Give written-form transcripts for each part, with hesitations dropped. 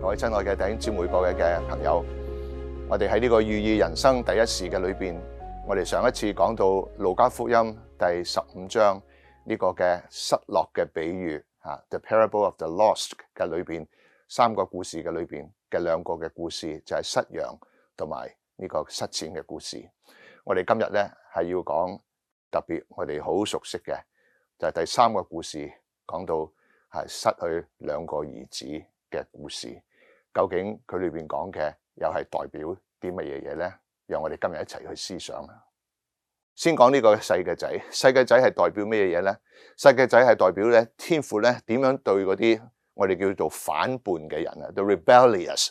各位親愛嘅弟兄姊妹、各位嘅朋友，我哋喺呢個寓意人生第一時嘅裏邊，我哋上一次講到路加福音第15章呢個嘅失落嘅比喻，The Parable of the Lost 嘅裏邊三個故事嘅裏邊嘅兩個嘅故事，就係失羊同埋呢個失錢嘅故事。我哋今日咧係要講特別我哋好熟悉嘅，就係第三個故事，講到係失去兩個兒子嘅故事。究竟佢裏邊講嘅又係代表啲乜嘢嘢咧？讓我哋今日一齊去思想。先講呢個細嘅仔，細嘅仔係代表咩嘢咧？細嘅仔係代表咧天父咧點樣對嗰啲我哋叫做反叛嘅人啊 ，the rebellious。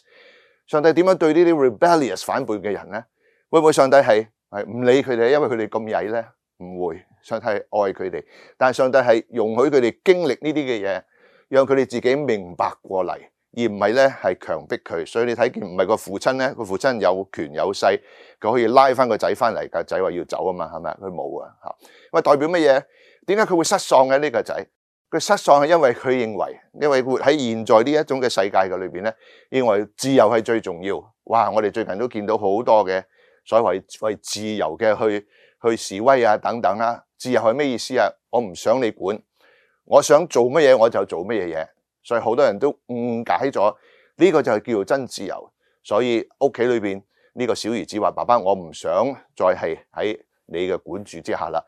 上帝點樣對呢啲 rebellious 反叛嘅人咧？會唔會上帝係唔理佢哋，因為佢哋咁曳咧？唔會，上帝係愛佢哋，但係上帝係容許佢哋經歷呢啲嘅嘢，讓佢哋自己明白過嚟。而唔係咧，係強迫佢，所以你睇見唔係個父親咧，個父親有權有勢，佢可以拉翻個仔翻嚟，個仔話要走啊嘛，係咪？佢冇啊嚇。咁代表乜嘢？點解佢會失喪嘅呢個仔？佢失喪係因為佢認為，因為活喺現在呢一種嘅世界嘅裏邊咧，認為自由係最重要。哇！我哋最近都見到好多嘅所謂為自由嘅去示威啊等等啦。自由係咩意思啊？我唔想你管，我想做乜嘢我就做乜嘢。所以好多人都誤解咗呢個就係叫做真自由。所以屋企裏邊呢個小兒子話：爸爸，我唔想再係喺你嘅管住之下啦。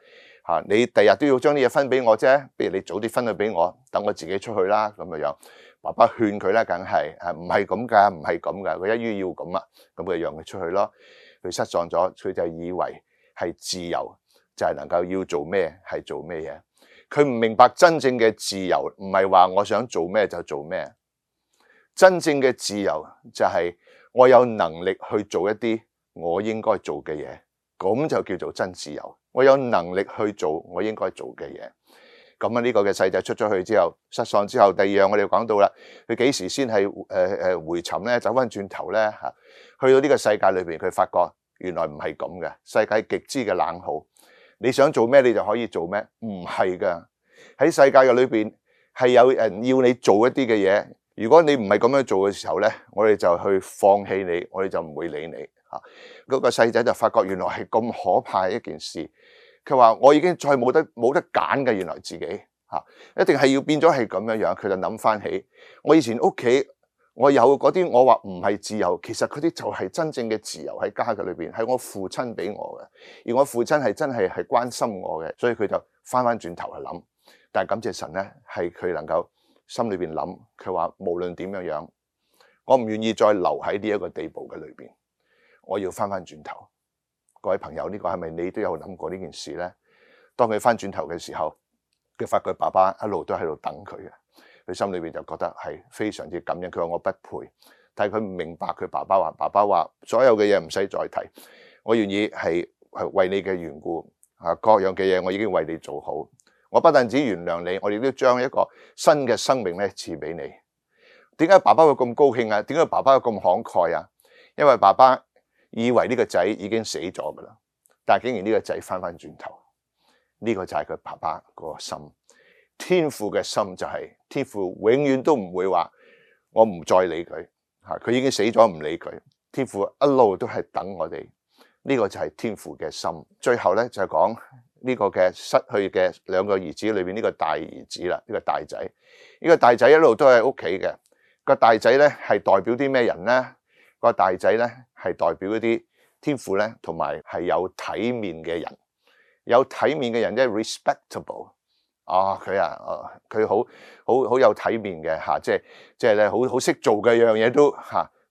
嚇，你第日都要將啲嘢分俾我啫，不如你早啲分去俾我，等我自己出去啦咁樣。爸爸勸佢咧，梗係唔係咁㗎，唔係咁㗎。佢一於要咁啊，咁佢讓佢出去咯。佢失喪咗，佢就以為係自由，就係能夠要做咩係做咩嘢。佢唔明白真正嘅自由唔係話我想做咩就做咩，真正嘅自由就係我有能力去做一啲我應該做嘅嘢，咁就叫做真自由。我有能力去做我應該做嘅嘢。咁啊呢個嘅細仔出咗去之後，失喪之後，第二樣我哋講到啦，佢幾時先係回尋咧，走翻轉頭咧嚇？去到呢個世界裏邊，佢發覺原來唔係咁嘅，世界極之嘅冷酷。你想做咩你就可以做咩？唔係㗎，喺世界嘅裏邊係有人要你做一啲嘅嘢。如果你唔係咁樣做嘅時候咧，我哋就去放棄你，我哋就唔會理你嚇。嗰個細仔就發覺原來係咁可怕嘅一件事。佢話：我已經再冇得揀嘅，原來自己嚇一定係要變咗係咁樣樣。佢就諗翻起我以前屋企。我有嗰啲，我話唔係自由，其實嗰啲就係真正嘅自由喺家嘅裏邊，係我父親俾我嘅，而我父親係真係關心我嘅，所以佢就翻轉頭去諗。但係感謝神咧，係佢能夠心裏邊諗，佢話無論點樣樣，我唔願意再留喺呢一個地步嘅裏邊，我要翻轉頭。各位朋友，呢個係咪你都有諗過呢件事咧？當佢翻轉頭嘅時候，佢發覺爸爸一路都喺度等佢嘅。佢心裏邊就覺得係非常之感恩。佢話我不配，但係佢唔明白佢爸爸話所有嘅嘢唔使再提，我願意係為你嘅緣故各樣嘅嘢我已經為你做好。我不但止原諒你，我亦都將一個新嘅生命咧賜俾你。點解爸爸會咁高興啊？點解爸爸會咁慷慨啊？因為爸爸以為呢個仔已經死咗噶啦，但係竟然呢個仔翻轉頭，呢個就係佢爸爸個心。天父嘅心就係天父永遠都唔會話我唔再理佢佢已經死咗唔理佢。天父一路都係等我哋，呢個就係天父嘅心。最後咧就係講呢個嘅失去嘅兩個兒子裏邊呢個大兒子啦，呢個大仔。呢個大仔一路都喺屋企嘅。個大仔咧係代表啲咩人咧？個大仔咧係代表一啲天父咧同埋係有體面嘅人，有體面嘅人即係 respectable。佢好有體面嘅即係咧好識做嘅樣嘢都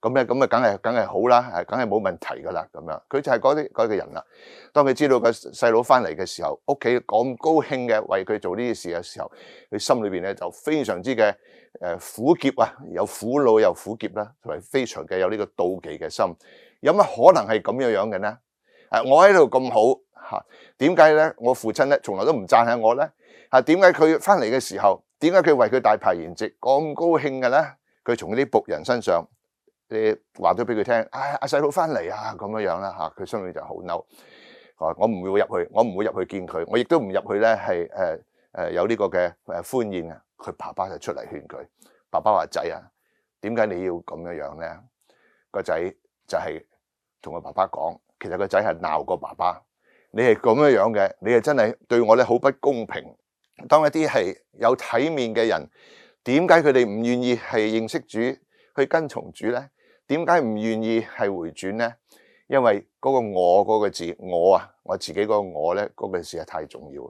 咁咧咁啊，梗係好啦，梗係冇問題噶啦咁樣。佢就係嗰個人啦。當佢知道個細佬翻嚟嘅時候，屋企咁高興嘅為佢做呢啲事嘅時候，佢心裏邊咧就非常之嘅苦澀啊，有苦惱又苦澀啦，同埋非常嘅有呢個妒忌嘅心。有乜可能係咁樣嘅呢？我喺度咁好點解咧？我父親咧從來都唔讚下我咧？點解佢翻嚟嘅時候，點解佢為佢大排筵席咁高興嘅咧？佢從啲僕人身上，你話咗俾佢聽，阿細佬翻嚟啊咁樣啦佢心裏就好嬲。我唔會入去，我唔會入去見佢，我亦都唔入去咧係有呢個嘅歡宴啊。佢爸爸就出嚟勸佢，爸爸話：仔啊，點解你要咁樣咧？個仔就係同個爸爸講，其實個仔係鬧個爸爸，你係咁樣嘅，你係真係對我咧好不公平。當一啲係有體面嘅人，點解佢哋唔願意係認識主，去跟從主咧？點解唔願意係回轉咧？因為嗰個我嗰個字，我自己嗰個我咧，嗰個字係太重要。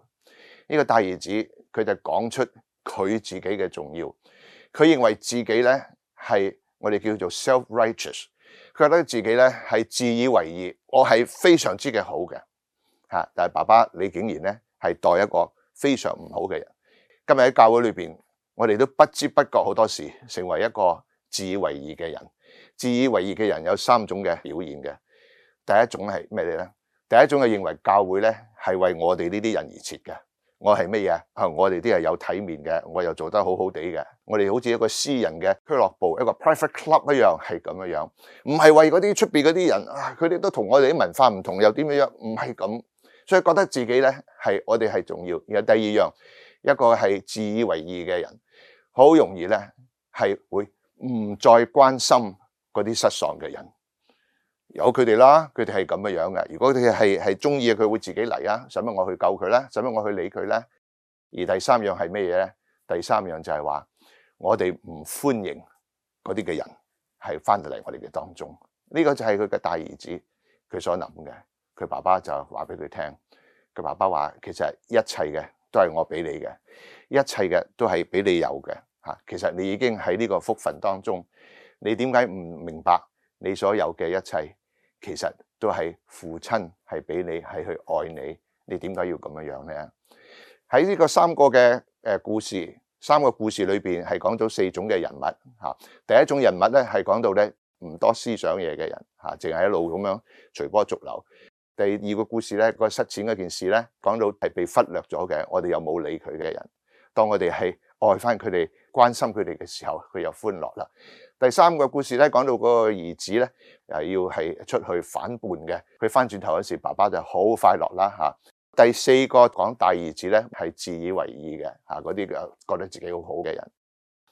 呢個大兒子佢就講出佢自己嘅重要，佢認為自己咧係我哋叫做 self-righteous， 佢覺得自己咧係自以為義，我係非常之嘅好嘅嚇。但係爸爸你竟然咧係待一個非常唔好嘅人。今日喺教會裏邊，我哋都不知不覺好多時成為一個自以為義嘅人。自以為義嘅人有3種嘅表現嘅。第一種係咩咧？第一種係認為教會咧係為我哋呢啲人而設嘅。我係乜嘢啊？我哋啲係有體面嘅，我又做得好好地嘅。我哋好似一個私人嘅俱樂部，一個 private club 一樣，係咁樣。唔係為嗰啲出邊嗰啲人啊，佢哋都同我哋啲文化唔同，又點樣？唔係咁，所以覺得自己咧係我哋係重要。然後第二樣，一個係自以為義嘅人，好容易咧係會唔再關心嗰啲失喪嘅人，由佢哋啦，佢哋係咁樣嘅。如果佢哋係中意嘅，佢會自己嚟啊，使乜我去救佢咧？使乜我去理佢咧？而第三樣係咩嘢咧？第三樣就係話我哋唔歡迎嗰啲嘅人係翻到嚟我哋嘅當中。呢個就係佢嘅大兒子佢所諗嘅。佢爸爸就話俾佢聽，佢爸爸話其實一切嘅都係我俾你嘅，一切嘅都係俾你有嘅嚇。其實你已經喺呢個福分當中。你點解唔明白你所有嘅一切其實都係父親係俾你，係去愛你？你點解要咁樣咧？喺呢個3個嘅故事，3個故事裏邊係講到4種嘅人物嚇。第一種人物咧係講到咧唔多思想嘢嘅人嚇，淨係一路咁樣隨波逐流。第2個故事咧，個失錢嗰件事咧，講到係被忽略咗嘅，我哋又冇理佢嘅人。當我哋係愛翻佢哋、關心佢哋嘅時候，佢又歡樂啦。第3個故事咧，講到嗰個兒子咧，要係出去反叛嘅，佢翻轉頭嗰時，爸爸就好快樂啦嚇。第4個講大兒子咧，係自以為義嘅嚇，嗰啲覺得自己好好嘅人。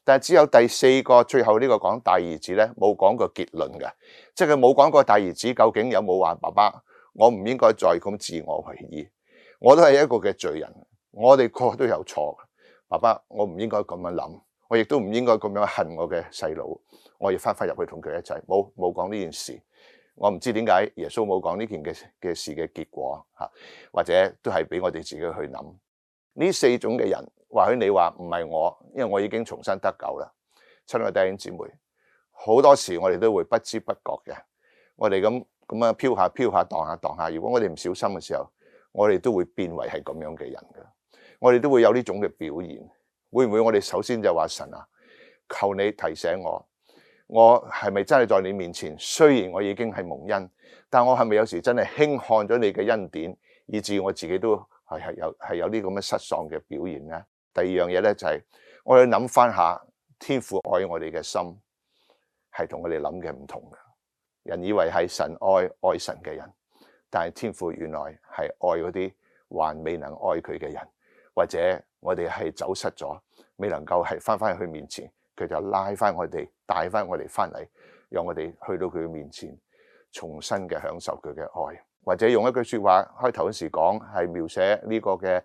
但係只有第4個最後呢個講大兒子咧，冇講過結論嘅，即係佢冇講過大兒子究竟有冇話爸爸，我唔應該再咁自我為義，我都係一個嘅罪人，我哋個個都有錯。爸爸，我唔應該咁樣諗，我亦都唔應該咁樣恨我嘅細佬，我要翻入去同佢一齊。冇講呢件事，我唔知點解耶穌冇講呢件嘅事嘅結果嚇，或者都係俾我哋自己去諗。呢4種嘅人，或許你話唔係我，因為我已經重新得救啦。親愛弟兄姊妹，好多時我哋都會不知不覺嘅，我哋咁樣飄下蕩下，如果我哋唔小心嘅時候，我哋都會變為係咁樣嘅人嘅。我哋都會有呢種嘅表現，會唔會我哋首先就話神啊，求你提醒我係咪真係在你面前？雖然我已經係蒙恩，但我係咪有時真係輕看咗你嘅恩典，以致我自己都係有啲咁嘅失喪嘅表現咧？第2樣嘢咧就係我哋諗翻下，天父愛我哋嘅心係同我哋諗嘅唔同嘅。人以為係神愛神嘅人，但係天父原來係愛嗰啲還未能愛佢嘅人。或者我哋係走失咗，未能夠係翻去佢面前，佢就拉翻我哋，帶翻我哋翻嚟，讓我哋去到佢嘅面前，重新嘅享受佢嘅愛。或者用一句說話，開頭嗰時講係描寫呢個嘅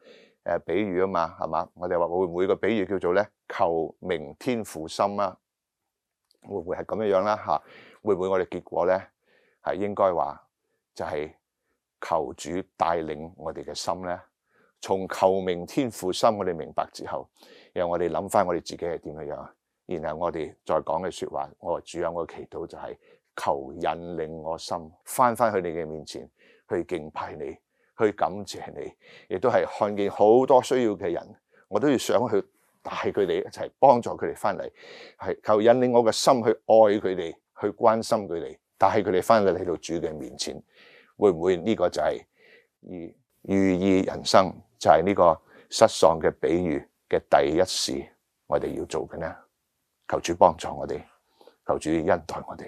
比喻啊嘛，係嘛？我哋話會唔會個比喻叫做咧求明天父心啊？會唔會係咁樣啦嚇？會唔會我哋結果咧係應該話就係求主帶領我哋嘅心咧？從求明天父心，我哋明白之後，然後我哋諗翻我哋自己係點樣，然後我哋再講嘅說話，我話主啊，我嘅祈禱就係求引領我心翻去你嘅面前，去敬拜你，去感謝你，亦都係看見好多需要嘅人，我都要想去帶佢哋一齊幫助佢哋翻嚟，係求引領我嘅心去愛佢哋，去關心佢哋，帶佢哋翻嚟到主嘅面前。會唔會呢個就係寓意人生？就係呢個失喪嘅比喻嘅第一事，我哋要做嘅呢？求主幫助我哋，求主恩待我哋。